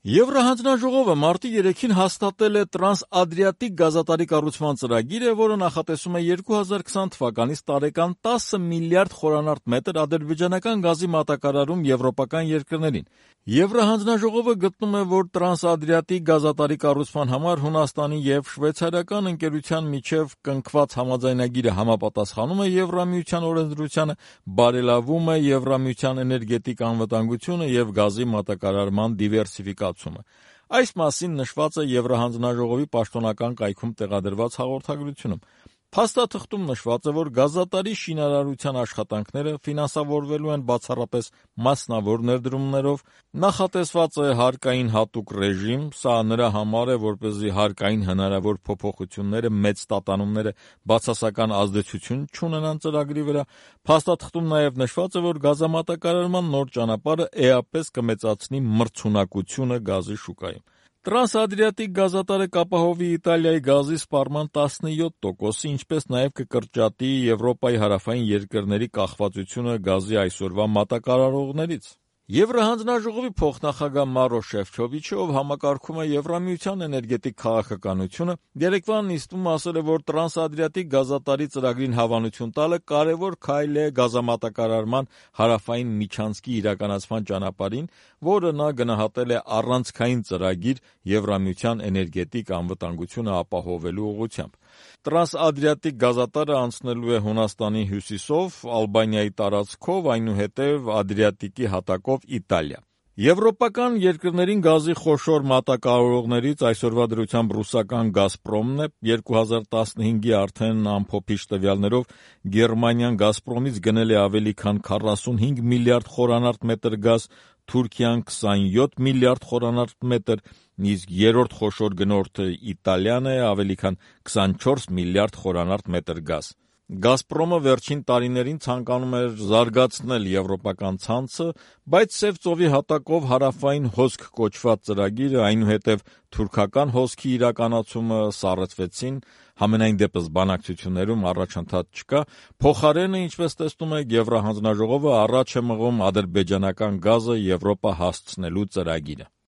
Եվրահանձնաժողովը մարտի 3-ին հաստատել է տրանսադրիատիկ գազատարի կառուցման ծրագիրը, որը նախատեսում է 2020 թվականից տարեկան 10 միլիարդ խորանարդ մետր ադրբեջանական գազի մատակարարում եվրոպական երկրներին։ Եվրահանձնաժողովը գտնում է, որ տրանսադրիատիկ գազատարի կառուցման համար Հունաստանի և շվեյցարիական ընկերության միջև կնքված համաձայնագիրը համապատասխանում է Եվրամիության օրենսդրությանը, բարելավում է Եվրամիության էներգետիկ անվտանգությունը և գազի մատակարարման դիվերսիֆիկացումը։ Այս մասին նշված է Եվրահանձնաժողովի պաշտոնական կայքում տեղադրված հաղորդագրությունում։ Փաստաթղթում նշված է, որ գազատարի շինարարության աշխատանքները ֆինանսավորվելու են բացառապես մասնավոր ներդրումներով, նախատեսված է հարկային հատուկ ռեժիմ, սա նրա համար է, որպեսզի հարկային հնարավոր փոփոխությունները մեծ տատանումները բացասական ազդեցություն չունենան ծրագրի վրա։ Փաստաթղթում նաև նշված է, որ գազամատակարարման նոր ճանապարհը էապես կմեծացնի մրցունակությունը գազի շուկայում։ Տրանսադրիատիկ գազատարը կապահովի Իտալիայի գազի սպառման 17%-ը, ինչպես նաև կկրճատի Եվրոպայի հարավային երկրների կախվածությունը գազի այսօրվա մատակարարողներից։ Եվրահանձնաժողովի փոխնախագահ Մարո Շեֆչովիչը, ով համակարգում է Եվրամիության էներգետիկ քաղաքականությունը, երեկվա նիստում ասել է, որ տրանսադրիատիկ գազատարի ծրագրին հավանություն տալը կարևոր քայլ է գազամատակարարման հարավային միջանցքի իրականացման ճանապարհին, որը նա գնահատել է առանցքային ծրագիր Եվրամիության էներգետիկ անվտանգությունը ապահովելու ուղղությամբ։ Տրանսադրիատիկ գազատարը անցնելու է Հունաստանի հյուսիսով, Ալբանիայի տարածքով, այնուհետև Ադրիատիկի հատակով Իտալիա։ Եվրոպական երկրներին գազի խոշոր մատակարարողներից այսօրվա դրությամբ ռուսական «Գազպրոմն» է, 2015-ի արդեն ամփոփիչ տվյալներով Գերմանիան «Գազպրոմից» գնել է ավելի քան 45 միլիարդ խորանարդ մետր գազ, Թուրքիան 27 միլիարդ խորանարդ մետր, իսկ երրորդ խոշոր գնորդը Իտալիան է, ավելի քան 24 միլիարդ խորանարդ մետր գազ։ «Գազպրոմը» վերջին տարիներին ցանկանում էր զարգացնել եվրոպական ցանցը, բայց Սև ծովի հատակով հարավային հոսք կոչված ծրագիրը, այնուհետև թուրքական հոսքի իրականացումը սառեցվեցին, համենայն դեպս բանակցություններում առաջընթաց չկա, փոխարենը, ինչպես տեսնում եք, Եվրահանձնաժողովը առաջ է մղում ադրբեջանական գազը Եվրոպա հասցնելու ծրագիրը։